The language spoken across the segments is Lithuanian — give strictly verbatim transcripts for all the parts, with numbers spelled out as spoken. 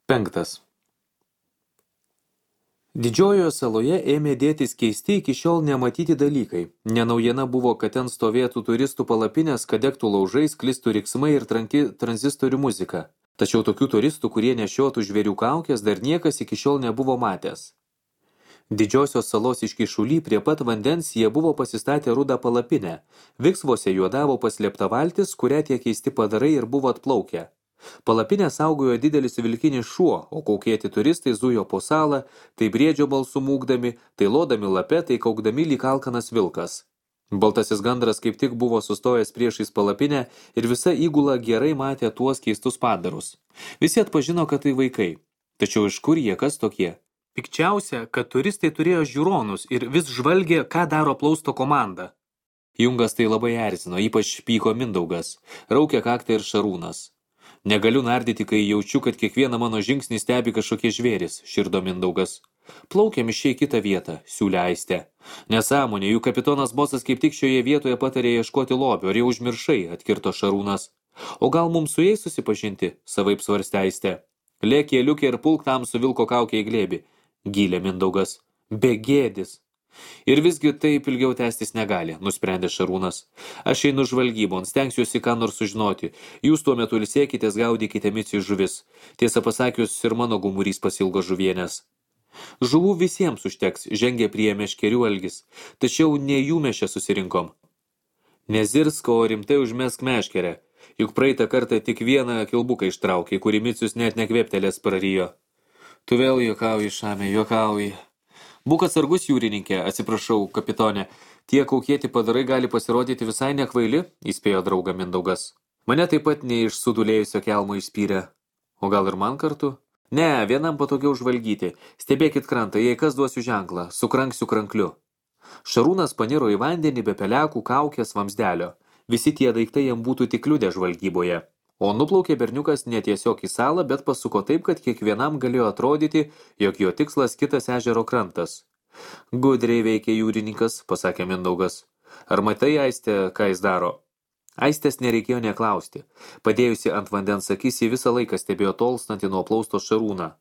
Penktas. Didžiojoje saloje ėmė dėtis keisti iki šiol nematyti dalykai. Nenaujiena buvo, kad ten stovėtų turistų palapinės, kad degtų laužai, sklistų riksmai ir tranki tranzistorių muzika. Tačiau tokių turistų, kurie nešiotų žvėrių kaukės, dar niekas iki šiol nebuvo matęs. Didžiosios salos iškišuly prie pat vandens jie buvo pasistatę rudą palapinę. Viksvose juodavo paslėpta valtis, kurią tie keisti padarai ir buvo atplaukę. Palapinę saugojo didelis vilkinis šuo, o kaukėti turistai zujo po salą, tai briedžio balsų mūgdami, tai lodami lape, tai kaukdami lyg alkanas vilkas. Baltasis gandras kaip tik buvo sustojęs priešais palapinę ir visa įgula gerai matė tuos keistus padarus. Visi atpažino, kad tai vaikai. Tačiau iš kur jie, kas tokie? Pikčiausia, kad turistai turėjo žiūronus ir vis žvalgė, ką daro plausto komanda. Jungas tai labai erzino, ypač pyko Mindaugas, raukė kaktą ir Šarūnas. Negaliu nardyti, kai jaučiu, kad kiekvieną mano žingsnį stebi kažkokie žvėris, širdo Mindaugas. Plaukiam iš į kitą vietą, siūlė Aistė. Nesąmonė, jų kapitonas bosas kaip tik šioje vietoje patarė ieškoti lobio, ar jau užmiršai, atkirto Šarūnas. O gal mums su jais susipažinti, savaip svarstė Aistė. Lėk keliukė ir pulk tam su vilko kaukė į glėbį, gylė Mindaugas. Begėdis. Ir visgi taip ilgiau tęstis negali, nusprendė Šarūnas. Aš einu žvalgybon, stengsiuosi ką nors sužinoti. Jūs tuo metu ilsėkitės, gaudykite micijų žuvis. Tiesą pasakius, ir mano gumurys pasilgo žuvienės. Žuvų visiems užteks, žengė prie meškerių Algis. Tačiau ne jų mes čia susirinkom. Nezirsk, o rimtai užmesk meškerę. Juk praeitą kartą tik vieną kilbuką ištraukė, kurį micius net nekvėptelės prarijo. Tu vėl juokauji, Šame, juokauji. Būk atsargus, jūrininkė, atsiprašau, kapitonė. Tie kaukėti padarai gali pasirodyti visai nekvaili, įspėjo draugą Mindaugas. Mane taip pat ne iš sudulėjusio kelmo išspyrė. O gal ir man kartu? Ne, vienam patogiau žvalgyti. Stebėkit krantą, jei kas duosiu ženklą, sukranksiu krankliu. Šarūnas paniro į vandenį be pelekų, kaukės, vamsdelio. Visi tie daiktai jam būtų tik kliudę žvalgyboje. O nuplaukė berniukas ne tiesiog į salą, bet pasuko taip, kad kiekvienam galėjo atrodyti, jog jo tikslas kitas ežero krantas. Gudriai veikia jūrininkas, pasakė Mindaugas. Ar matai, Aistė, ką jis daro? Aistės nereikėjo neklausti. Padėjusi ant vandens akis, ji visą laiką stebėjo tolstantį nuo plausto Šarūną.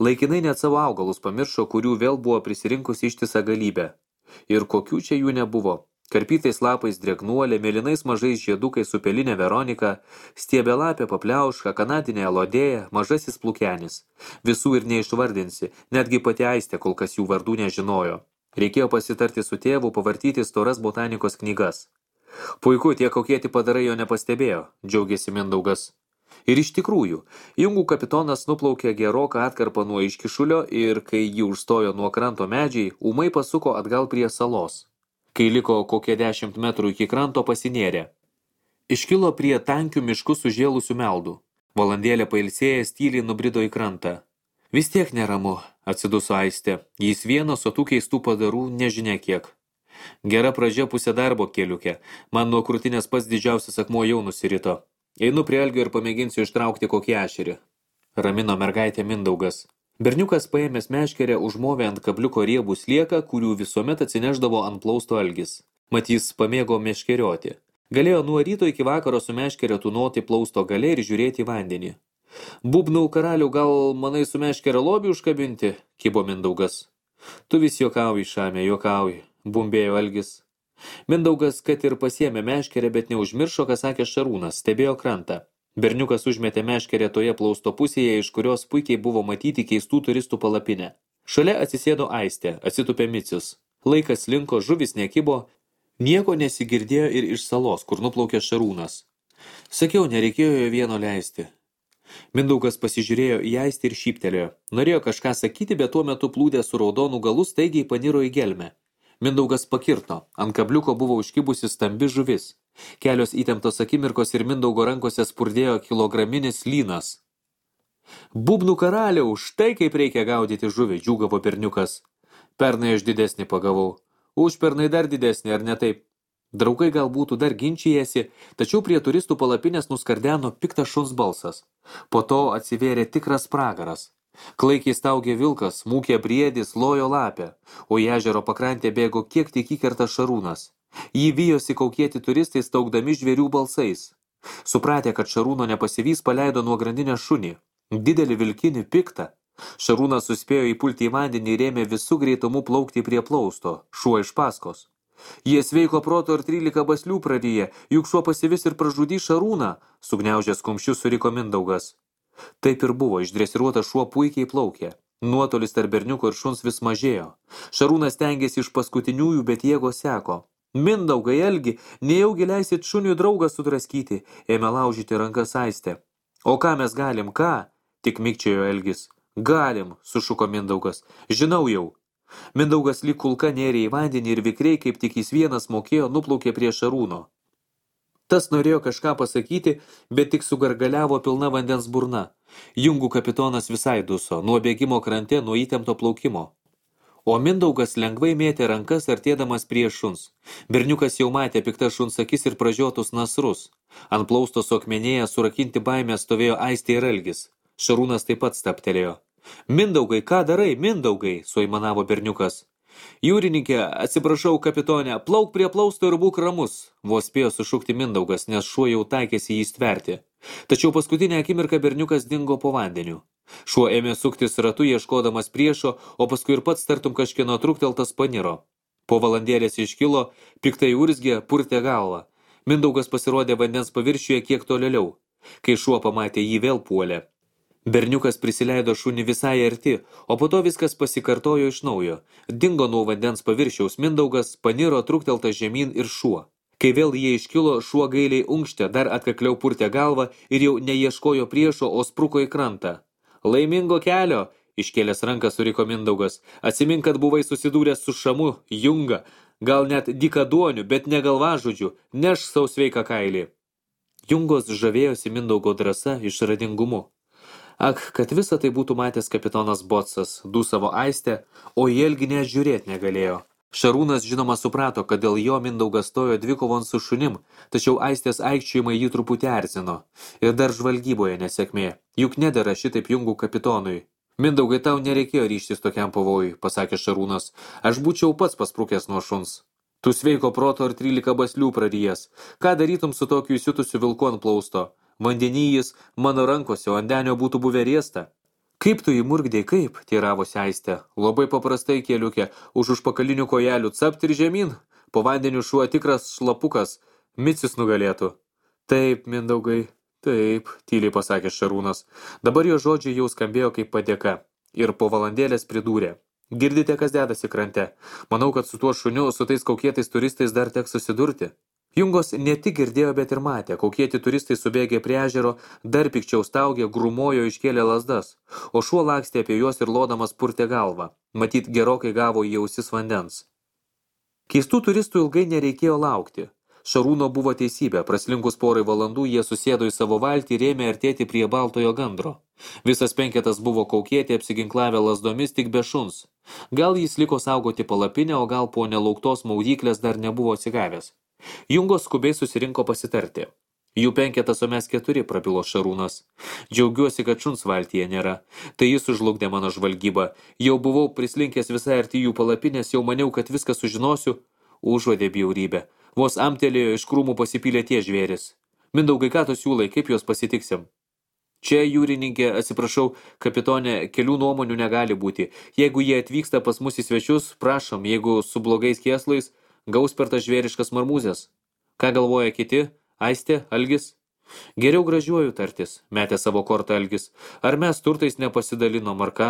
Laikinai net savo augalus pamiršo, kurių vėl buvo prisirinkusi ištisą galybę. Ir kokių čia jų nebuvo. Karpytais lapais drėgnuolė, mėlynais mažais žiedukais upelinė Veronika, stiebelapė papliauška, kanadinė elodėja, mažasis plukenis. Visų ir neišvardinsi, netgi pati Aistė kol kas jų vardų nežinojo. Reikėjo pasitarti su tėvu, pavartyti storas botanikos knygas. Puiku, tie kaukėti padarai jo nepastebėjo, džiaugėsi Mindaugas. Ir iš tikrųjų, jungų kapitonas nuplaukė geroką atkarpą nuo iškišulio ir, kai jį užstojo nuo kranto medžiai, ūmai pasuko atgal prie salos. Kai liko kokie dešimt metrų iki kranto, pasinėrė. Iškilo prie tankių miškų sužėlusių meldų. Valandėlę pailsėjęs tyliai nubrido į krantą. Vis tiek neramu, atsiduso Aistė. Jis vienas, o tų keistų padarų nežinia kiek. Gera pradžia pusė darbo keliukė. Man nuo krūtinės pats didžiausias akmuo jau nusirito. Einu prie Algio ir pamėginsiu ištraukti kokį ešerį. Ramino mergaitė Mindaugas. Berniukas paėmęs meškerę užmovė ant kabliuko riebų slieką, kurių visuomet atsineždavo ant plausto Algis. Mat jis pamėgo meškerioti. Galėjo nuo ryto iki vakaro su meškerė tūnoti plausto gale ir žiūrėti į vandenį. Būbnų karalių, gal manai su meškerė lobį užkabinti, kibo Mindaugas. Tu vis juokauji, Šame, juokauji, bumbėjo Algis. Mindaugas, kad ir pasiėmė meškerę, bet neužmiršo, ką sakė Šarūnas, stebėjo krantą. Berniukas užmetė meškerę toje plausto pusėje, iš kurios puikiai buvo matyti keistų turistų palapinę. Šalia atsisėdo Aistė, atsitupė micius. Laikas linko, žuvis nekibo, nieko nesigirdėjo ir iš salos, kur nuplaukė Šarūnas. Sakiau, nereikėjo jo vieno leisti. Mindaugas pasižiūrėjo į Aistę ir šyptelėjo. Norėjo kažką sakyti, bet tuo metu plūdė su raudonų galu staigiai paniro į gelmę. Mindaugas pakirto, ant kabliuko buvo užkibusi stambi žuvis. Kelios įtemptos akimirkos ir Mindaugo rankose spurdėjo kilograminis lynas. Būbnų karaliau, štai kaip reikia gaudyti žuvį, džiūgavo berniukas. Pernai aš didesnį pagavau. Užpernai dar didesnį, ar ne taip? Draugai gal būtų dar ginčijęsi, tačiau prie turistų palapinės nuskardeno piktas šuns balsas. Po to atsivėrė tikras pragaras. Klaikiai staugė vilkas, mūkė briedis, lojo lapę, o į ežero pakrantę bėgo kiek tik įkerta Šarūnas. Jį vijosi kaukėti turistai staugdami žvėrių balsais. Supratę, kad Šarūno nepasivys, paleido nuo grandinės šunį. Didelį vilkinį piktą. Šarūnas suspėjo įpulti į vandenį ir ėmė visų greitumu plaukti prie plausto, šuo iš paskos. Jie sveiko proto ir trylika baslių praryja, juk šuo pasivis ir pražudys Šarūną, sugniaužęs kumščius suriko Mindaugas. Taip ir buvo, išdresiruotas šuo puikiai plaukė. Nuotolis tarp berniuko ir šuns vis mažėjo. Šarūnas stengėsi iš paskutiniųjų, bet jėgos seko. Mindaugai, Algi, nejaugi leisit šuniui draugą sudraskyti, ėmė laužyti rankas Aistė. O ką mes galim, ką? Tik mikčiojo Elgis. Galim, sušuko Mindaugas. Žinau jau. Mindaugas lyg kulka nėrė į vandenį ir vikriai, kaip tik jis vienas mokėjo, nuplaukė prie Šarūno. Tas norėjo kažką pasakyti, bet tik sugargaliavo pilna vandens burna. Jungų kapitonas visai duso, nuo bėgimo krante, nuo įtempto plaukimo. O Mindaugas lengvai mėtė rankas, artėdamas prie šuns. Berniukas jau matė piktas šuns akis ir pražiotus nasrus. Ant plausto suakmenėje surakinti baimę stovėjo Aistė ir Algis. Šarūnas taip pat staptelėjo. Mindaugai, ką darai, Mindaugai, suaimanavo berniukas. Jūrininkė, atsiprašau, kapitonė, plauk prie plausto ir būk ramus, vos spėjo sušukti Mindaugas, nes šuo jau taikėsi jį stverti. Tačiau paskutinę akimirką berniukas dingo po vandeniu. Šuo ėmė suktis ratu, ieškodamas priešo, o paskui ir pats tartum kažkieno trukteltas paniro. Po valandėlės iškilo, piktai urzgė, purtė galvą. Mindaugas pasirodė vandens paviršiuje kiek tolėliau. Kai šuo pamatė, jį vėl puolė. Berniukas prisileido šunį visai arti, o po to viskas pasikartojo iš naujo. Dingo nuo vandens paviršiaus Mindaugas, paniro trukteltas žemyn ir šuo. Kai vėl jie iškilo, šuo gailiai unkštė, dar atkakliau purtė galvą ir jau neieškojo priešo, o spruko į krantą. Laimingo kelio, iškėlęs ranką suriko Mindaugas. Atsimink, kad buvai susidūręs su šamu, junga, gal net dykaduoniu, bet ne galvažudžiu, neš sau sveiką kailį. Jungos žavėjosi Mindaugo drąsa, išradingumu. Ak, kad visą tai būtų matęs kapitonas Botsas, dūsavo Aistė, o į Elgį net žiūrėt negalėjo. Šarūnas žinoma suprato, kad dėl jo Mindaugas stojo dvikovon su šunim, tačiau Aistės aikčiojimai jį truputį erzino. Ir dar žvalgyboje nesėkmė, juk nedera šitaip Jungų kapitonui. Mindaugai, tau nereikėjo ryžtis tokiam pavojui, pasakė Šarūnas. Aš būčiau pats pasprukęs nuo šuns. Tu sveiko proto ir trylika baslių prarijęs. Ką darytum su tokiu įsiutusiu vilku ant plausto? Vandenyjis mano rankose, o andenio būtų buvę riesta. Kaip tu įmurgdėjai, kaip, teiravosi Aistė. Labai paprastai, kėliukė, už užpakalinių kojelių capt ir žemyn. Po vandeniu šuo tikras šlapukas, Micis nugalėtų. Taip, Mindaugai, taip, tyliai pasakė Šarūnas. Dabar jo žodžiai jau skambėjo kaip padėka. Ir po valandėlės pridūrė. Girdite, kas dedasi krante. Manau, kad su tuo šuniu, su tais kaukėtais turistais dar teks susidurti. Jungos ne tik girdėjo, bet ir matė, kokieti turistai subėgė prie ežero, dar pikčiau staugė, grumojo, iškėlė lazdas, o šuo lakstė apie juos ir lodamas purtė galvą. Matyt, gerokai gavo į ausis vandens. Keistų turistų ilgai nereikėjo laukti. Šarūno buvo teisybė, praslinkus porai valandų jie susėdo į savo valtį ir ėmė artėti prie baltojo gandro. Visas penketas buvo kaukėti, apsiginklavę lazdomis tik be šuns. Gal jis liko saugoti palapinę, o gal po nelauktos maudyklės dar nebuvo atsigavęs. Jungos skubiai susirinko pasitarti. Jų penketas, o mes keturi, prabilo Šarūnas. Džiaugiuosi, kad šuns valtyje nėra. Tai jis užlugdė mano žvalgybą. Jau buvau prislinkęs visai arti jų palapinės, jau maniau, kad viską sužinosiu. Užuodė bjaurybę. Vos amtelėjo, iš krūmų pasipylė tie žvėris. Mindaugai, ką tu siūlai, kaip juos pasitiksim? Čia, jūrininkė, atsiprašau, kapitonė, kelių nuomonių negali būti. Jeigu jie atvyksta pas mus į svečius, prašom, jeigu su blogais kėslais, gaus per tas žvėriškas marmūzės. Ką galvoja kiti? Aistė, Algis? Geriau gražiuoju tartis, metė savo kortą Algis. Ar mes turtais nepasidalinom, ar ką?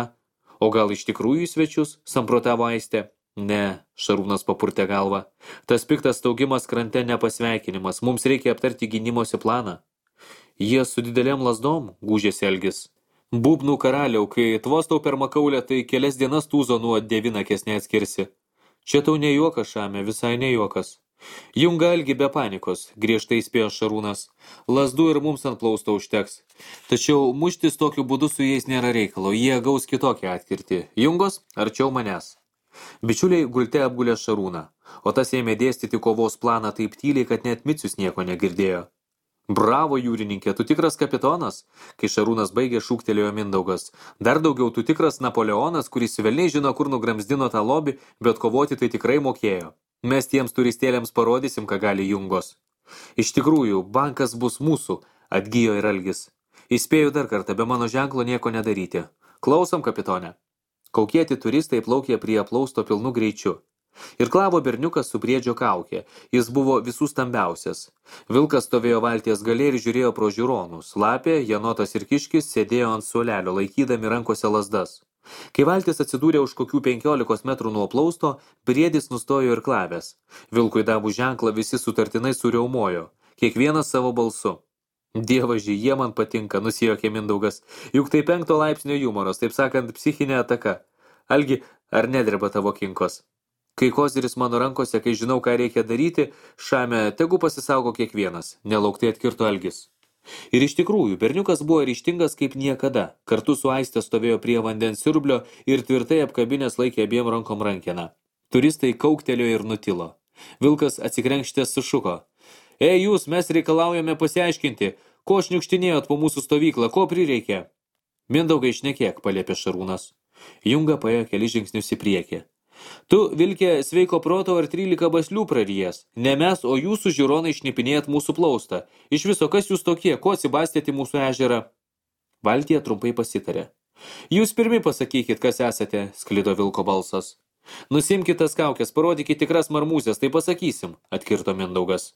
O gal iš tikrųjų į svečius, samprotavo Aistė? Ne, Šarūnas papurtė galvą. Tas piktas staugimas krante nepasveikinimas, mums reikia aptarti gynimosi planą. Jie su didelėm lazdom, gūžėsi Algis. Būbnų karaliau, kai tvostau per makaulę, tai kelias dienas tūzo nuo devinakės neatskirsi. Čia tau ne juokas, Šame, visai ne juokas. Junga Algi be panikos, griežtai spėjo Šarūnas. Lazdų ir mums ant plausto užteks. Tačiau muštis tokiu būdu su jais nėra reikalo, jie gaus kitokią atkirtį. Jungos, arčiau manęs. Bičiuliai gulte apgulė Šarūną, o tas ėmė dėstyti kovos planą taip tyliai, kad net Micius nieko negirdėjo. Bravo, jūrininkė, tu tikras kapitonas, kai Šarūnas baigė, šūktelėjo Mindaugas. Dar daugiau, tu tikras Napoleonas, kuris velniai žino, kur nugramzdino tą lobį, bet kovoti tai tikrai mokėjo. Mes tiems turistėliams parodysim, ką gali Jungos. Iš tikrųjų, bankas bus mūsų, atgijo ir Algis. Įspėju dar kartą, be mano ženklo nieko nedaryti. Klausom, kapitone. Kaukieti turistai plaukė prie aplausto pilnu greičiu. Ir klavo berniukas su briedžio kaukė. Jis buvo visų stambiausias. Vilkas stovėjo valties gale ir žiūrėjo pro žiūronus. Lapė, Janotas ir Kiškis sėdėjo ant suolelio, laikydami rankose lazdas. Kai valtis atsidūrė už kokių penkiolikos metrų nuo aplausto, briedis nustojo ir klavęs. Vilkui davų ženklą visi sutartinai suriaumojo. Kiekvienas savo balsu. Dievaži, jie man patinka, nusijuokė Mindaugas. Juk tai penkto laipsnio jumoras, taip sakant, psichinė ataka. Algi, ar nedreba tavo kinkos? Kai koziris mano rankose, kai žinau, ką reikia daryti, šame tegu pasisaugo kiekvienas, nelauktai atkirto Algis. Ir iš tikrųjų, berniukas buvo ryžtingas kaip niekada. Kartu su Aiste stovėjo prie vandens siurblio ir tvirtai apkabinės laikė abiem rankom rankeną. Turistai kauktelėjo ir nutilo. Vilkas atsikrenkštės sušuko. Ei jūs, mes reikalaujame pasiaiškinti, ko šniukštinėjot po mūsų stovyklą, ko prireikė? Mindaugai šnekėk, paliepė Šarūnas. Junga paėjo keli žingsnius į priekį. Tu, Vilkė, sveiko proto ar trylika baslių prarijęs. Ne mes, o jūsų žiūronai šnipinėjat mūsų plaustą. Iš viso, kas jūs tokie, ko atsibastėte mūsų ežerą? Valtija trumpai pasitarė. Jūs pirmi pasakykit, kas esate, sklido Vilko balsas. Nusimkit tas kaukės, parodykit tikras marmūzės, tai pasakysim, atkirto Mindaugas.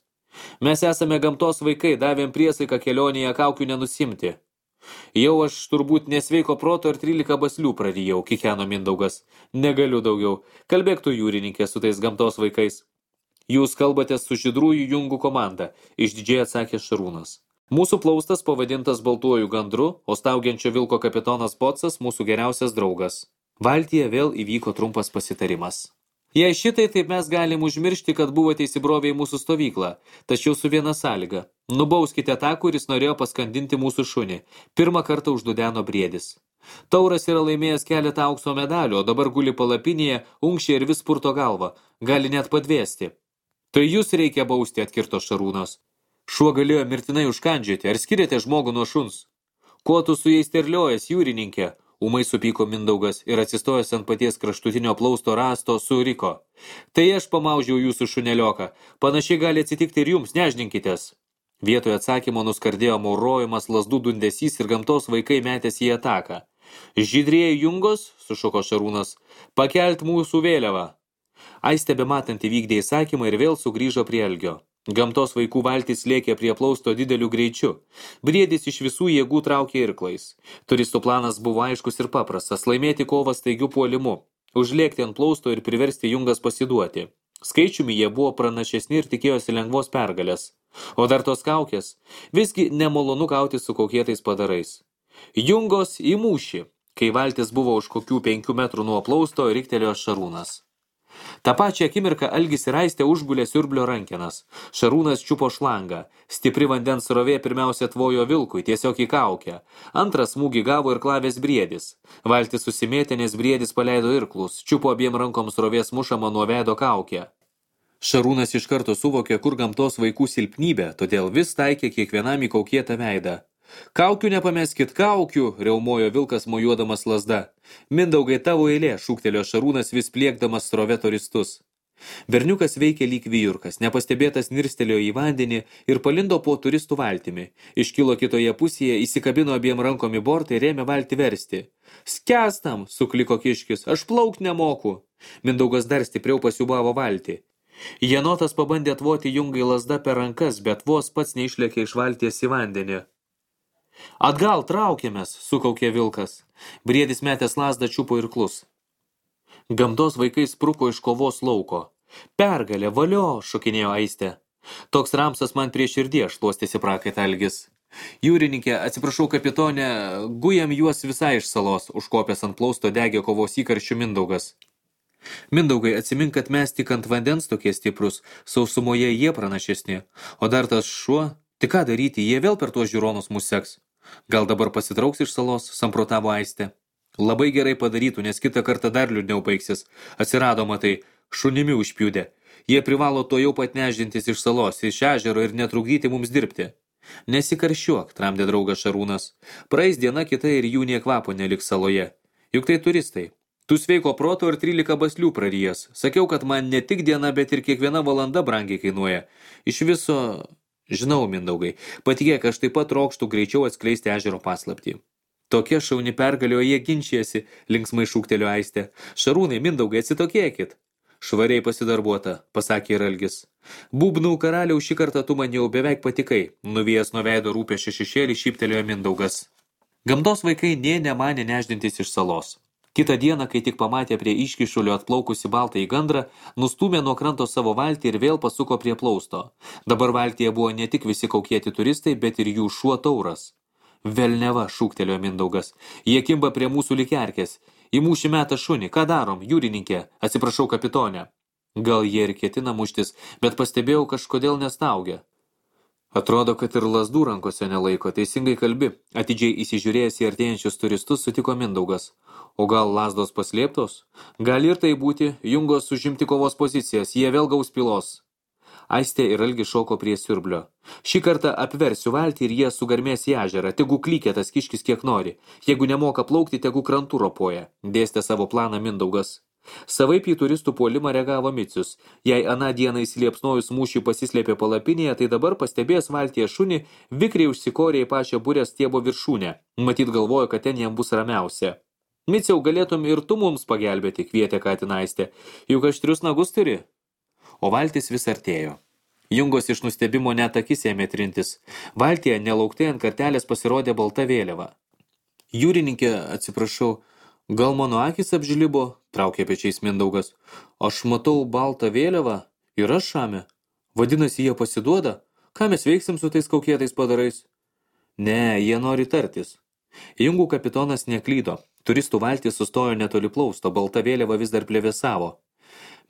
Mes esame gamtos vaikai, davėm priesaiką kelionėje kaukių nenusimti. Jau aš turbūt nesveiko proto ir trylika baslių prarijau, kikeno Mindaugas. Negaliu daugiau. Kalbėk tu, jūrininkė, su tais gamtos vaikais. Jūs kalbate su žydrųjų jungų komanda, išdidžiai atsakė Šarūnas. Mūsų plaustas pavadintas baltuoju gandru, o staugiančio Vilko kapitonas Pocas mūsų geriausias draugas. Valtyje vėl įvyko trumpas pasitarimas. Jei šitai, taip mes galim užmiršti, kad buvote įsibrovę į mūsų stovyklą, tačiau su viena sąlyga. Nubauskite tą, kuris norėjo paskandinti mūsų šunį. Pirmą kartą uždudeno briedis. Tauras yra laimėjęs keletą aukso medalių, o dabar guli palapinėje, unkšė ir vis purto galvą. Gali net padvėsti. Tai jūs reikia bausti, atkirto Šarūnas. Šuo galėjo mirtinai užkandžioti, ar skiriate žmogų nuo šuns? Ko tu su jais terliojas, jūrininkė? Ūmai supyko Mindaugas ir atsistojęs ant paties kraštutinio plausto rasto suriko. Tai aš pamaužiau jūsų šunelioką. Panašiai gali atsitikti ir jums, nežninkitės. Vietoje atsakymo nuskardėjo maurojimas, lazdų dundesys ir gamtos vaikai metėsi į ataką. Žydrieji jungos, sušuko Šarūnas, pakelt mūsų vėliavą. Aistė bematant įvykdė įsakymą ir vėl sugrįžo prie Algio. Gamtos vaikų valtis lėkė prie plausto dideliu greičiu. Briedis iš visų jėgų traukė irklais. Turistų planas buvo aiškus ir paprastas – laimėti kovą staigiu puolimu, užlėkti ant plausto ir priversti jungas pasiduoti. Skaičiumi jie buvo pranašesni ir tikėjosi lengvos pergalės. O dar tos kaukės – visgi nemalonu gauti su kaukėtais padarais. Jungos į mūšį, kai valtis buvo už kokių penkių metrų nuo plausto, riktelėjo Šarūnas. Ta pačią akimirką Algis ir Aistė užgulė siurblio rankenas. Šarūnas čiupo šlangą. Stipri vandens srovė pirmiausia tvojo Vilkui, tiesiog į kaukę. Antrą smūgį gavo ir klavės briedis. Valtis susimėtė, nes briedis paleido irklus. Čiupo abiem rankom srovės mušamą nuo veido kaukę. Šarūnas iš karto suvokė, kur gamtos vaikų silpnybė, todėl vis taikė kiekvienam į kaukėtą veidą. Kaukių nepameskit, kaukių, riaumojo Vilkas mojuodamas lazda. Mindaugai, tavo eilė, šūktelėjo Šarūnas vis pliekdamas srove turistus. Berniukas veikė lyg vijurkas, nepastebėtas nirstelėjo į vandenį ir palindo po turistų valtimi. Iškilo kitoje pusėje, įsikabino abiem rankom į bortą ir ėmė valtį versti. Skęstam, sukliko Kiškis, aš plaukt nemoku. Mindaugas dar stipriau pasiubavo valtį. Janotas pabandė atvoti jungai lazda per rankas, bet vos pats neišlėkė iš valties į vandenį. Atgal traukėmės, sukaukė Vilkas. Briedis metęs lazdą čiupo irklus. Gamtos vaikai spruko iš kovos lauko. Pergalė, valio, šokinėjo Aistė. Toks ramsas man prie širdies, šluostėsi prakaitą Algis. Jūrininkė, atsiprašau kapitonė, gujam juos visai iš salos, užkopęs ant plausto degė kovos įkarščių Mindaugas. Mindaugai, atsimink, kad mes tik ant vandens tokie stiprus, sausumoje jie pranašesni, o dar tas šuo, tik ką daryti, jie vėl per tuos žiūronus mus seks. Gal dabar pasitrauks iš salos, samprotavo Aistė. Labai gerai padarytų, nes kitą kartą dar liūdniau baigsis. Atsirado, matai, šunimi užpiūdė. Jie privalo to jau pat neždintis iš salos, iš ežero ir netrukdyti mums dirbti. Nesikarščiuok, tramdė draugas Šarūnas. Praeis diena kita ir jų nė kvapo neliks saloje. Juk tai turistai. Tu sveiko proto ir trylika baslių prarijęs. Sakiau, kad man ne tik diena, bet ir kiekviena valanda brangiai kainuoja. Iš viso... Žinau, Mindaugai, patikėk, aš taip pat trokštų greičiau atskleisti ežero paslaptį. Tokia šauni pergalio jie ginčijasi, linksmai šūktelio Aistė. Šarūnai, Mindaugai, atsitokėkit. Švariai pasidarbuota, pasakė ir Algis. Būbnų karaliau, šį kartą tu man jau beveik patikai, nuvėjęs nuo veido rūpesčio šešėlį šyptelėjo Mindaugas. Gamtos vaikai nė nemanė neždintis iš salos. Kitą dieną, kai tik pamatė prie iškišulio atplaukusi baltą į gandrą, nustūmė nuo kranto savo valtį ir vėl pasuko prie plausto. Dabar valtyje buvo ne tik visi kaukėti turistai, bet ir jų šuo Tauras. Velneva, šūktelėjo Mindaugas. Jie kimba prie mūsų likerkės. Į mūšį metą šunį. Ką darom, jūrininkė? Atsiprašau, kapitonė. Gal jie ir ketina muštis, bet pastebėjau kažkodėl nestaugia. Atrodo, kad ir lazdų rankose nelaiko. Teisingai kalbi. Atidžiai įsižiūrėjęs į artėjančius turistus sutiko Mindaugas. O gal lazdos paslėptos? Gali ir tai būti. Jungos užimti kovos pozicijas. Jie vėl gaus pilos. Aistė ir Algis šoko prie siurblio. Šį kartą apversiu valtį ir jie sugarmės į ežerą. Tegu klykė tas kiškis kiek nori. Jeigu nemoka plaukti, tegu krantų ropoja. Dėstė savo planą Mindaugas. Savaip į turistų puolimą reagavo Micius. Jei aną dieną įsiliepsnojus mūšiui pasislėpė palapinėje, tai dabar pastebėjęs valtyje šunį, vikriai užsikorė į pačią burę stiebo viršūnę. Matyt galvojo, kad ten jam bus ramiausia. Miciau, galėtum ir tu mums pagelbėti, kvietė Katinaistė. Juk aštrius nagus turi. O valtis vis artėjo. Jungos iš nustebimo net akis ėmė trintis. Valtyje nelauktai ant kartelės pasirodė balta vėliava. Jūrininkė, atsiprašau, gal mano akis apžlibo, traukė pečiais Mindaugas. Aš matau baltą vėliavą ir aš šame. Vadinasi, jie pasiduoda? Ką mes veiksim su tais kaukėtais padarais? Ne, jie nori tartis. Jungų kapitonas neklydo. Turistų valtis sustojo netoli plausto, balta vėliava vis dar plevėsavo.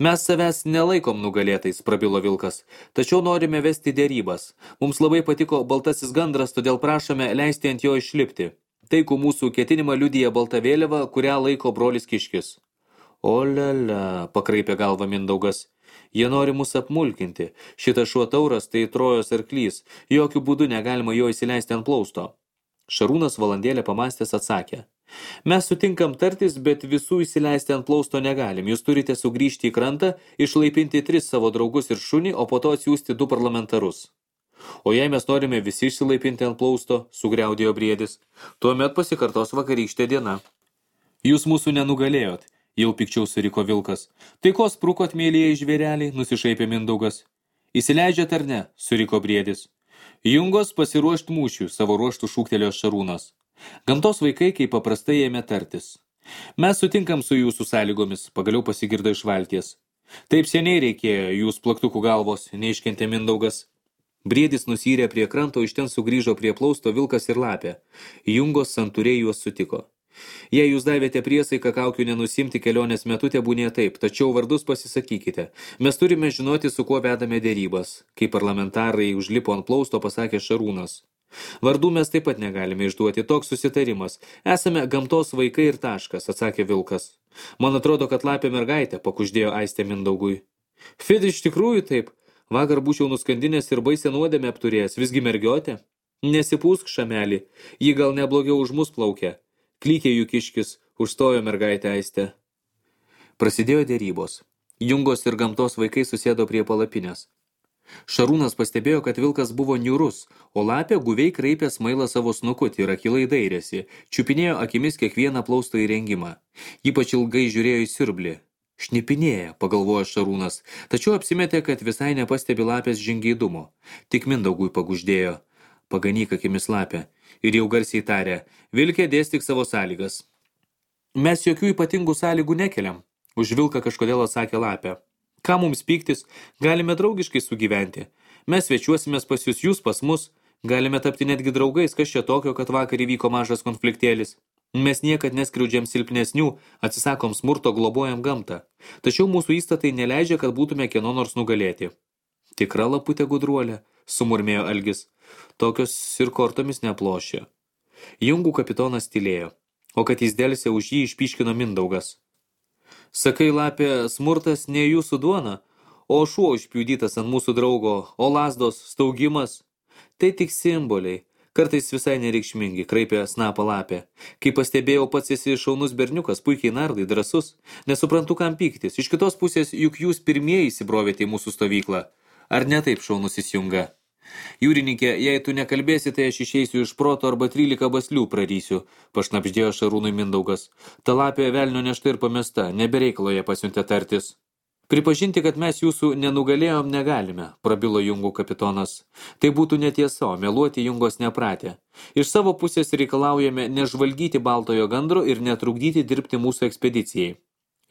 Mes savęs nelaikom nugalėtais, prabilo Vilkas, tačiau norime vesti dėrybas. Mums labai patiko baltasis gandras, todėl prašome leisti ant jo išlipti. Taikų mūsų ketinimą liudija balta vėliava, kurią laiko brolis Kiškis. O lele, pakraipė galvą Mindaugas. Jie nori mus apmulkinti. Šitas šuo Tauras tai Trojos arklys. Jokių būdų negalima jo įsileisti ant plausto. Šarūnas valandėlę pamastęs atsakė. Mes sutinkam tartis, bet visų įsileisti ant plausto negalim. Jūs turite sugrįžti į krantą, išlaipinti tris savo draugus ir šunį, o po to atsiųsti du parlamentarus. O jei mes norime visi išsilaipinti ant plausto, sugriaudėjo Briedis, tuomet pasikartos vakarykštė diena. Jūs mūsų nenugalėjot, jau pikčiau suriko Vilkas. Tai ko sprukot, mėlyje žvėreliai, nusišaipė Mindaugas. Įsileidžiat ar ne, suriko Briedis. Jungos pasiruošt mūšių, savo ruoštų šūktelėjo Šarūnas. Gamtos vaikai, kaip paprastai, ėmė tartis. Mes sutinkam su jūsų sąlygomis, pagaliau pasigirdo iš valties. Taip seniai reikėjo, jūs plaktukų galvos, neiškentė Mindaugas. Briedis nusyrė prie kranto, iš ten sugrįžo prie plausto Vilkas ir Lapė. Jungos santūriai juos sutiko. Jei jūs davėte priesaiką kaukių nenusimti kelionės metu, tebūnė taip, tačiau vardus pasisakykite. Mes turime žinoti, su kuo vedame dėrybas. Kai parlamentarai užlipo ant plausto, pasakė Šarūnas. Vardų mes taip pat negalime išduoti, toks susitarimas. Esame gamtos vaikai ir taškas, atsakė Vilkas. Man atrodo, kad Lapė mergaitė, pakuždėjo Aistė Mindaugui. Fid, iš tikrųjų taip. Vakar būčiau nuskandinęs ir baisę nuodėmę apturėjęs, visgi mergiotė. Nesipūsk, šamelį, ji gal neblogiau už mus plaukia. Klykė jų Kiškis, užstojo mergaitę Aistę. Prasidėjo dėrybos. Jungos ir gamtos vaikai susėdo prie palapinės. Šarūnas pastebėjo, kad Vilkas buvo niūrus, o Lapė guviai kraipė smailą savo snukutį ir akylai dairėsi, čiupinėjo akimis kiekvieną plausto įrengimą. Ypač ilgai žiūrėjo į siurblį. Šnipinėja, pagalvojo Šarūnas, tačiau apsimetė, kad visai nepastebi Lapės žingeidumo. Tik Mindaugui paguždėjo. Paganyk akimis Lapę. Ir jau garsiai tarė, Vilkė, dėstyk savo sąlygas. Mes jokių ypatingų sąlygų nekeliam, už Vilką kažkodėl atsakė Lapė. Ką mums pyktis, galime draugiškai sugyventi. Mes svečiuosimės pas jūs, jūs pas mus, galime tapti netgi draugais, kas čia tokio, kad vakar įvyko mažas konfliktėlis. Mes niekad neskriaudžiam silpnesnių, atsisakom smurto, globojam gamtą. Tačiau mūsų įstatai neleidžia, kad būtume kieno nors nugalėti. Tikra laputė gudruolė, sumurmėjo Algis. Tokios ir kortomis neplošė. Jungų kapitonas tylėjo, o kad jis delsė už jį išpyškino Mindaugas. Sakai, Lapė, smurtas ne jūsų duona, o šuo užpjudytas ant mūsų draugo, o lazdos, staugimas. Tai tik simboliai, kartais visai nereikšmingi, kraipė snapą Lapė. Kai pastebėjau, pats esi šaunus berniukas, puikiai nardai, drąsus, nesuprantu, kam pyktis. Iš kitos pusės, juk jūs pirmieji įsibrovėte į mūsų stovyklą. Ar ne taip, šaunusis Junga? Jūrininkė, jei tu nekalbėsi, tai aš išeisiu iš proto arba trylika baslių prarysiu, pašnapždėjo Šarūnui Mindaugas. Ta lapė velnio nešta ir pamesta, nebereikalo ją pasiuntė tartis. Pripažinti, kad mes jūsų nenugalėjom negalime, prabilo Jungų kapitonas. Tai būtų netiesa, o meluoti Jungos nepratė. Iš savo pusės reikalaujame nežvalgyti baltojo gandro ir netrukdyti dirbti mūsų ekspedicijai.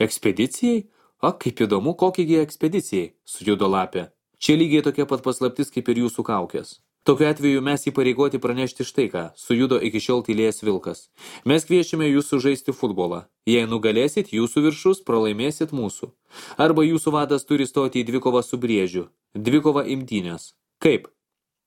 Ekspedicijai? O, kaip įdomu, kokiegi ekspedicijai, sujudo lapė. Čia lygiai tokia pat paslaptis kaip ir jūsų kaukės. Tokiu atveju mes įpareigoti pranešti štai ką, sujudo iki šiol tylėjęs vilkas. Mes kviečiame jūsų žaisti futbolą. Jei nugalėsit, jūsų viršus, pralaimėsit mūsų. Arba jūsų vadas turi stoti į dvikovą su Briežiu. Dvikova imtynės. Kaip?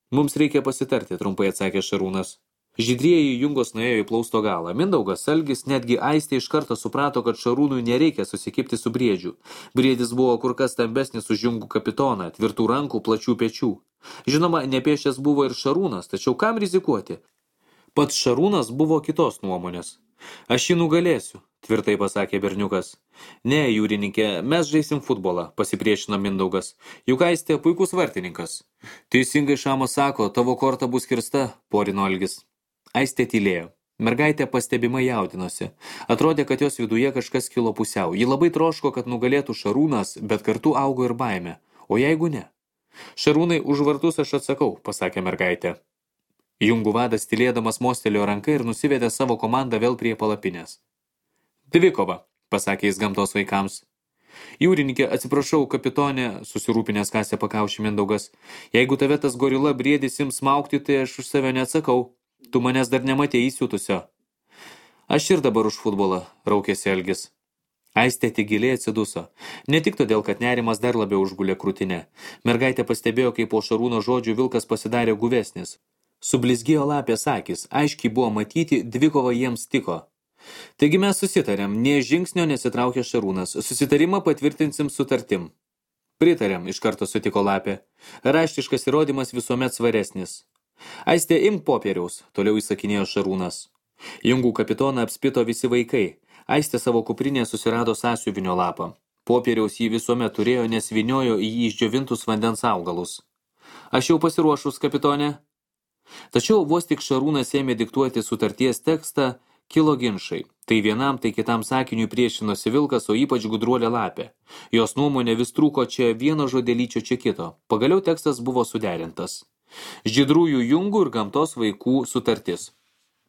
Mums reikia pasitarti, trumpai atsakė Šarūnas. Žydrieji Jungos nuėjo į plausto galą. Mindaugas, Algis, netgi Aistė iš karto suprato, kad Šarūnui nereikia susikipti su Briedžiu. Briedis buvo kur kas stambesnis už Jungų kapitoną, tvirtų rankų, plačių pečių. Žinoma, nepiešęs buvo ir Šarūnas, tačiau kam rizikuoti? Pats Šarūnas buvo kitos nuomonės. Aš jį nugalėsiu, tvirtai pasakė berniukas. Ne, jūrininkė, mes žaisim futbolą, pasipriešino Mindaugas. Juk Aistė puikus vartininkas. Teisingai Šamas sako, tavo korta bus kirsta, porino Algis. Aistė tylėjo. Mergaitė pastebimai jaudinosi. Atrodė, kad jos viduje kažkas kilo pusiau. Ji labai troško, kad nugalėtų Šarūnas, bet kartu augo ir baimė. O jeigu ne? Šarūnai, už vartus aš atsakau, pasakė mergaitė. Jungų vadas tylėdamas mostelėjo ranką ir nusivedė savo komandą vėl prie palapinės. Dvikova, pasakė jis gamtos vaikams. Jūrininkė, atsiprašau, kapitonė, susirūpinęs kasė pakaušį Mindaugas. Jeigu tave tas gorila briedis ims smaugti, tai aš už save neatsakau. Tu manęs dar nematėjai įsiutusio. Aš ir dabar už futbolą, raukėsi Algis. Aistė tik giliai atsiduso. Ne tik todėl, kad nerimas dar labiau užgulė krūtinę. Mergaitė pastebėjo, kaip po Šarūno žodžių vilkas pasidarė guvesnis. Sublizgėjo lapės akis, aiškiai buvo matyti, dvikova jiems tiko. Taigi mes susitarėm, nė žingsnio nesitraukė Šarūnas. Susitarimą patvirtinsim sutartim. Pritarėm, iš karto sutiko lapė. Raštiškas įrodymas visuomet svaresnis. Aistė, imk popieriaus, toliau įsakinėjo Šarūnas. Jungų kapitoną apspito visi vaikai. Aistė savo kuprinėje susirado sąsiuvinio lapą. Popieriaus jį visuomet turėjo, nes vyniojo į jį išdžiovintus vandens augalus. Aš jau pasiruošus, kapitonė. Tačiau vos tik Šarūnas ėmė diktuoti sutarties tekstą, kilo ginčai. Tai vienam, tai kitam sakiniui priešinosi vilkas, o ypač gudruolė lapė. Jos nuomonė vis trūko čia vieno žodelyčio čia kito. Pagaliau tekstas buvo suderintas. Žydrųjų Jungų ir gamtos vaikų sutartis.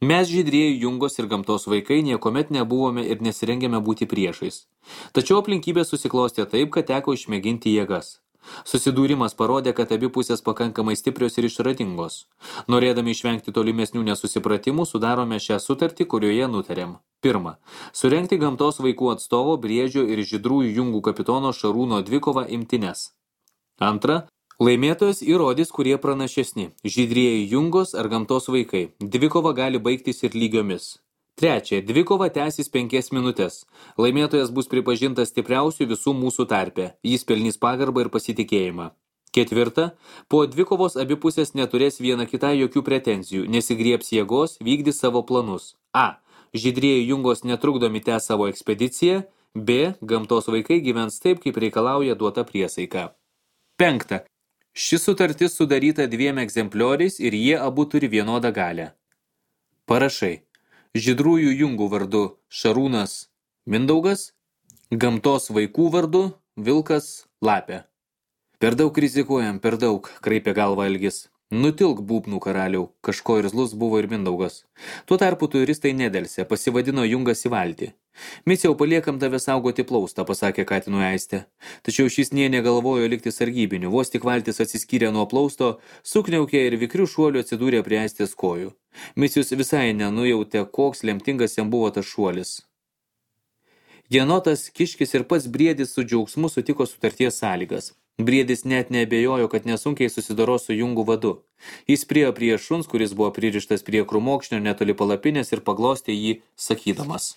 Mes žydrieji Jungos ir gamtos vaikai niekomet nebuvome ir nesirengėme būti priešais. Tačiau aplinkybės susiklostė taip, kad teko išmėginti jėgas. Susidūrimas parodė, kad abi pusės pakankamai stiprios ir išradingos. Norėdami išvengti tolimesnių nesusipratimų, sudarome šią sutartį, kurioje nutarėm. Pirma, surengti gamtos vaikų atstovo Briedžio ir žydrųjų Jungų kapitono Šarūno dvikovą imtynes. Antra, laimėtojas įrodys, kurie pranašesni, žydrieji Jungos ar gamtos vaikai. Dvikova gali baigtis ir lygiomis. Trečia, dvikova tęsis penkias minutės. Laimėtojas bus pripažintas stipriausių visų mūsų tarpe. Jis pelnys pagarbą ir pasitikėjimą. Ketvirta, po dvikovos abi pusės neturės viena kitai jokių pretenzijų, nesigriebs jėgos, vykdys savo planus. A. Žydrieji Jungos netrukdomi tęs savo ekspediciją. B. Gamtos vaikai gyvens taip, kaip reikalauja duota priesaika. Penkta. Ši sutartis sudaryta dviem egzemplioriais ir jie abu turi vienodą galią. Parašai. Žydrųjų Jungų vardu Šarūnas Mindaugas, gamtos vaikų vardu Vilkas Lapė. Per daug rizikuojam, per daug, kraipė galvą Algis. Nutilk būbnų karaliau, kažko irzlus buvo ir Mindaugas. Tuo tarpu turistai nedelsė, pasivadino Jungas į valtį. Miciau, paliekam tave saugoti plaustą, pasakė katinui Aistė. Tačiau šis nė negalvojo likti sargybiniu, vos tik valtis atsiskyrė nuo plausto, sukniaukė ir vikrių šuolių atsidūrė prie Aistės kojų. Micius visai nenujautė, koks lemtingas jam buvo tas šuolis. Jenotas, Kiškis ir pats Briedis su džiaugsmu sutiko sutarties sąlygas. Briedis net neabejojo, kad nesunkiai susidoros su Jungų vadu. Jis priėjo prie šuns, kuris buvo pririštas prie krūmokšnio netoli palapinės ir paglostė jį, sakydamas.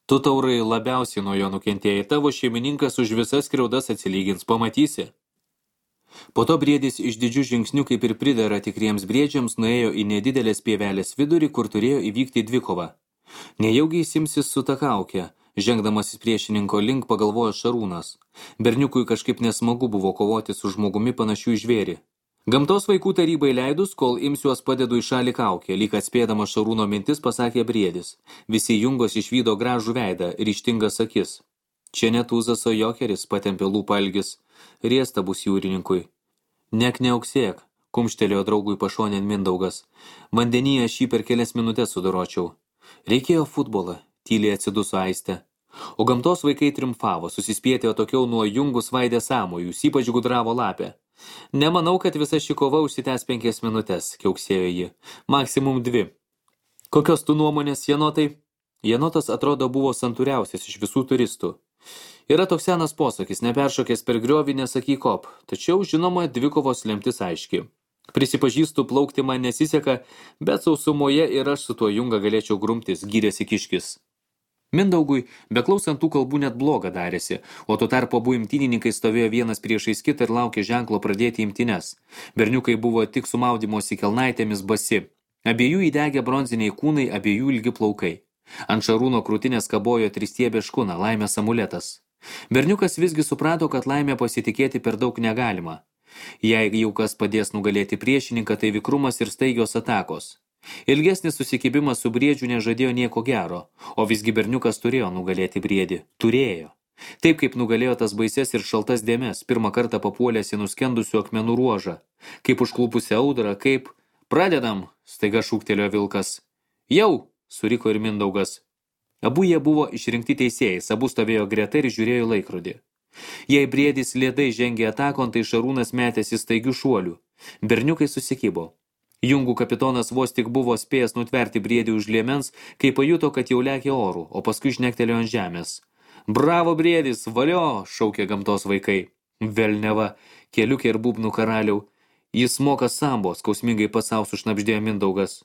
Tu, taurai, labiausiai nuo jo nukentėjai, tavo šeimininkas už visas skriaudas atsilygins, pamatysi. Po to Briedis iš didžių žingsnių, kaip ir pridera tikriems briedžiams, nuėjo į nedidelės pievelės vidurį, kur turėjo įvykti dvikova. Nejaugi įsimsis su ta kaukė. Žengdamasis priešininko link pagalvojo Šarūnas. Berniukui kažkaip nesmagu buvo kovoti su žmogumi panašių į žvėrį. Gamtos vaikų tarybai leidus, kol imsiuos padedu į šalį kaukę, lyg atspėdama Šarūno mintis pasakė Briedis. Visi jungos išvydo gražų veidą, ryžtingas akis. Čia net Tūzas, o Jokeris, patempė lūpą Algis. Riesta bus jūrininkui. Nek neauksėk, kumštelėjo draugui pašonėn Mindaugas. Vandenyje šį per kelias minutės sudoročiau. Reikėjo futbolą, tyliai atsiduso Aistė. O gamtos vaikai triumfavo, susispietė atokiau nuo jungų svaidė sąmojus, ypač gudravo lapė. Nemanau, kad visa ši kova užsitęs penkias minutės, kiauksėjo ji. Maksimum dvi. Kokios tu nuomonės, Jenotai? Jenotas atrodo buvo santūriausias iš visų turistų. Yra toks senas posakis, neperšokęs per griovį nesakyk kop, tačiau, žinoma, dvikovos lemtis aiški. Prisipažįstu, plaukti man nesiseka, bet sausumoje ir aš su tuo junga galėčiau grumtis, gyrėsi Kiškis. Mindaugui, beklausant tų kalbų net bloga darėsi, o tuo tarpu abu imtynininkai stovėjo vienas priešais kitą ir laukė ženklo pradėti imtynes. Berniukai buvo tik su maudymosi kelnaitėmis basi. Abiejų įdegė bronziniai kūnai, abiejų ilgi plaukai. Ant Šarūno krūtinės kabojo tristiebė škuna, laimės amuletas. Berniukas visgi suprato, kad laimė pasitikėti per daug negalima. Jei jau kas padės nugalėti priešininką, tai vikrumas ir staigios atakos. Ilgesnis susikibimas su Briedžiu nežadėjo nieko gero, o visgi berniukas turėjo nugalėti Briedį. Turėjo. Taip kaip nugalėjo tas baises ir šaltas dėmes, pirmą kartą papuolęs į nuskendusių akmenų ruožą. Kaip užklupusią audrą, kaip... Pradedam, staiga šūktelėjo Vilkas. Jau, suriko ir Mindaugas. Abu jie buvo išrinkti teisėjais, abu stovėjo greta ir žiūrėjo laikrodį. Jei Briedis lėtai žengė atakon, tai Šarūnas metėsi staigių šuolių. Berniukai susikibo. Jungų kapitonas vos tik buvo spėjęs nutverti Briedį už liemens, kai pajuto, kad jau lekia orų, o paskui šnektelėjo ant žemės. Bravo, Briedis, valio, šaukė gamtos vaikai. Velneva, keliukė ir būbnų karaliau. Jis moka sambo, skausmingai pasau sušnabždėjo Mindaugas.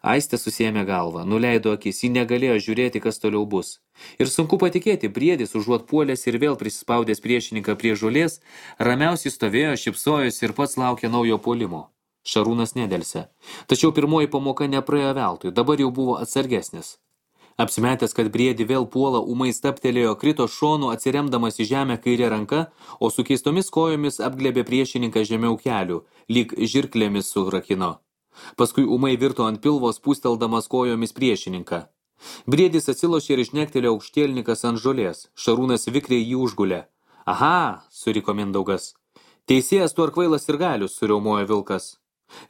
Aistė susėmė galvą, nuleido akis, ji negalėjo žiūrėti, kas toliau bus. Ir sunku patikėti, Briedis, užuot puolęs ir vėl prisispaudęs priešininką prie žolės, ramiausiai stovėjo, šypsojosi ir pats laukė naujo puolimo. Šarūnas nedelsė. Tačiau pirmoji pamoka nepraėjo veltui, dabar jau buvo atsargesnis. Apsimetęs, kad Briedį vėl puola, ūmai staptelėjo, krito šonu, atsiremdamas į žemę kairę ranką, o su keistomis kojomis apglėbė priešininką žemiau kelių, lyg žirklėmis surakino. Paskui ūmai virto ant pilvo, spūsteldamas kojomis priešininką. Briedis atsilošė ir išnektelėjo aukštielnikas ant žolės. Šarūnas vikriai jį užgulė. Aha, suriko Mindaugas. Teisėjas tu ar kvailas ir galius, suriaumojo Vilkas.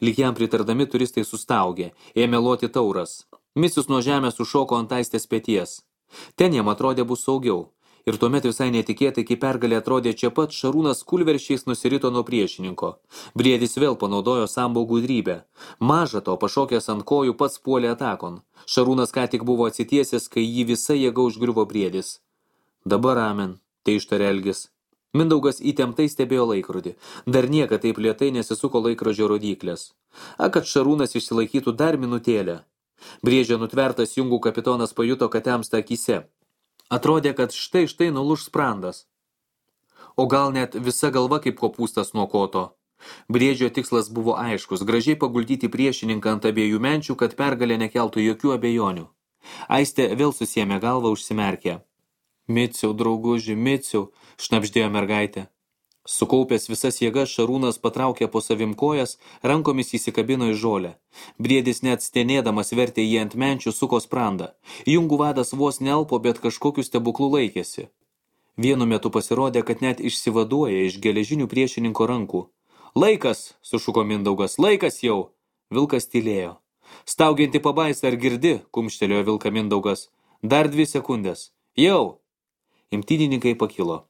Lyg jam pritardami turistai sustaugė, ėmė loti tauras. Misius nuo žemės sušoko ant Aistės peties. Ten jam atrodė bus saugiau. Ir tuomet visai netikėtai, kai pergalė atrodė čia pat, Šarūnas kulveršiais nusirito nuo priešininko. Briedis vėl panaudojo sambo gudrybę. Maža to, pašokęs ant kojų, pats puolė atakon. Šarūnas ką tik buvo atsitiesęs, kai jį visa jėga užgriuvo Briedis. Dabar amen, tai ištarė Algis. Mindaugas įtemptai stebėjo laikrodį. Dar niekad taip lėtai nesisuko laikrodžio rodyklės. A, kad Šarūnas išsilaikytų dar minutėlę. Briedžio nutvertas jungų kapitonas pajuto, kad temsta akyse. Atrodė, kad štai štai nuluš sprandas. O gal net visa galva kaip kopūstas nuo koto. Briedžio tikslas buvo aiškus, gražiai paguldyti priešininką ant abiejų menčių, kad pergalė nekeltų jokių abejonių. Aistė vėl susiėmė galvą, užsimerkė. Miciau, drauguži, Miciau, šnabždėjo mergaitė. Sukaupęs visas jėgas, Šarūnas patraukė po savim kojas, rankomis įsikabino į žolę. Briedis net stenėdamas vertė jį ant menčių, suko sprandą. Jungų vadas vos nelpo, bet kažkokiu stebuklu laikėsi. Vienu metu pasirodė, kad net išsivaduoja iš geležinių priešininko rankų. Laikas, sušuko Mindaugas, laikas jau. Vilkas tylėjo. Staugianti pabaisa, ar girdi, kumštelėjo Vilką Mindaugas. Dar dvi sekundės. Jau. Imtynininkai pakilo.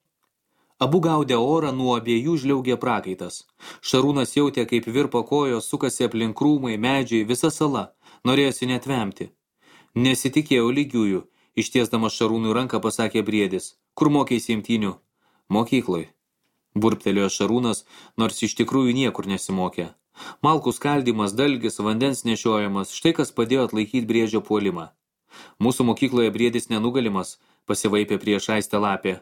Abu gaudė orą, nuo abiejų žliaugė prakaitas. Šarūnas jautė, kaip virpa kojos, sukasi aplink krūmai, medžiai, visa sala. Norėjosi net vemti. Nesitikėjau lygiųjų, ištiesdamas Šarūnui ranką pasakė Briedis. Kur mokėsi imtynių? Mokykloj. Burptelėjo Šarūnas, nors iš tikrųjų niekur nesimokė. Malkų skaldymas, dalgis, vandens nešiojimas, štai kas padėjo atlaikyti Briedžio puolimą. Mūsų mokykloje Briedis nenugalimas, pasivaipė prieš Aistę lapė.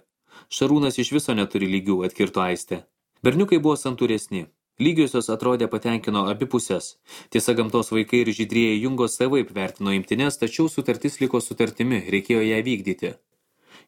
Šarūnas iš viso neturi lygių, atkirto Aistė. Berniukai buvo santūresni. Lygiosios atrodė patenkino abi pusės. Tiesa, gamtos vaikai ir žydrieji jungos savaip vertino imtines, tačiau sutartis liko sutartimi, reikėjo ją vykdyti.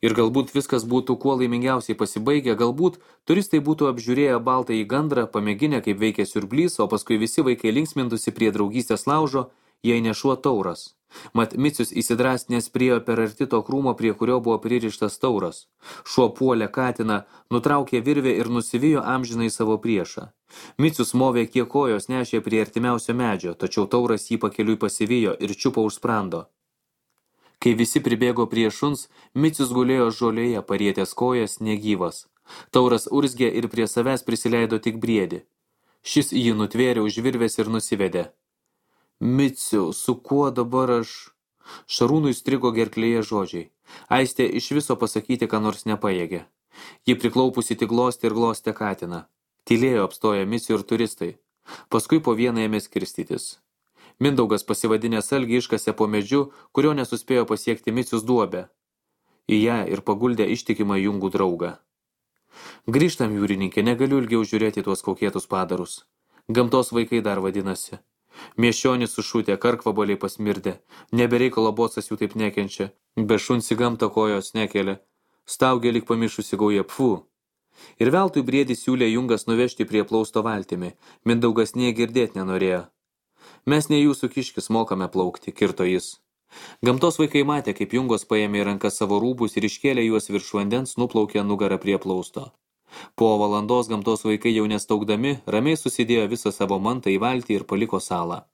Ir galbūt viskas būtų kuo laimingiausiai pasibaigę, galbūt turistai būtų apžiūrėję baltąjį gandrą, pamėginę, kaip veikia siurblys, o paskui visi vaikai linksmintųsi prie draugystės laužo, jei ne šuo tauras. Mat Micius įsidrasnės priėjo per arti to krūmo, prie kurio buvo pririštas tauras. Šuo puolė katiną, nutraukė virvę ir nusivijo amžinai savo priešą. Micius movė kiek kojos nešė prie artimiausio medžio, tačiau tauras jį pakeliui pasivijo ir čiupo už sprando. Kai visi pribėgo prie šuns, Micius gulėjo žolėje, parietęs kojas, negyvas. Tauras urzgė ir prie savęs prisileido tik briedį. Šis jį nutvėrė už virvės ir nusivedė. Miciau, su kuo dabar aš? Šarūnui strigo gerklėje žodžiai. Aistė iš viso pasakyti, ką nors nepajėgė. Ji priklaupusi tik glostė ir glostė katiną. Tylėjo apstoję Micių ir turistai. Paskui po vieną ėmė skirstytis. Mindaugas pasivadinęs algį iškasė po medžiu, kurio nesuspėjo pasiekti Micius duobę. Į ją ir paguldė ištikimą jungų draugą. Grįžtam, jūrininkė, negaliu ilgiau žiūrėti tuos kaukėtus padarus. Gamtos vaikai dar vadinasi. Mieščionis sušutė, karkvabaliai pasmirdė. Nebereikalo bocas jų taip nekenčia. Be šuns į gamtą kojos nekelia. Staugė lyg pamišusi gauja, pfu. Ir veltui briedį siūlė jungas nuvežti prie plausto valtimi. Mindaugas nie girdėt nenorėjo. Mes ne jūsų kiškis mokame plaukti, kirto jis. Gamtos vaikai matė, kaip jungos paėmė į rankas savo rūbus ir iškėlė juos virš vandens, nuplaukė nugarą prie plausto. Po valandos gamtos vaikai jau nestaugdami, ramiai susidėjo visą savo mantą į valtį ir paliko salą.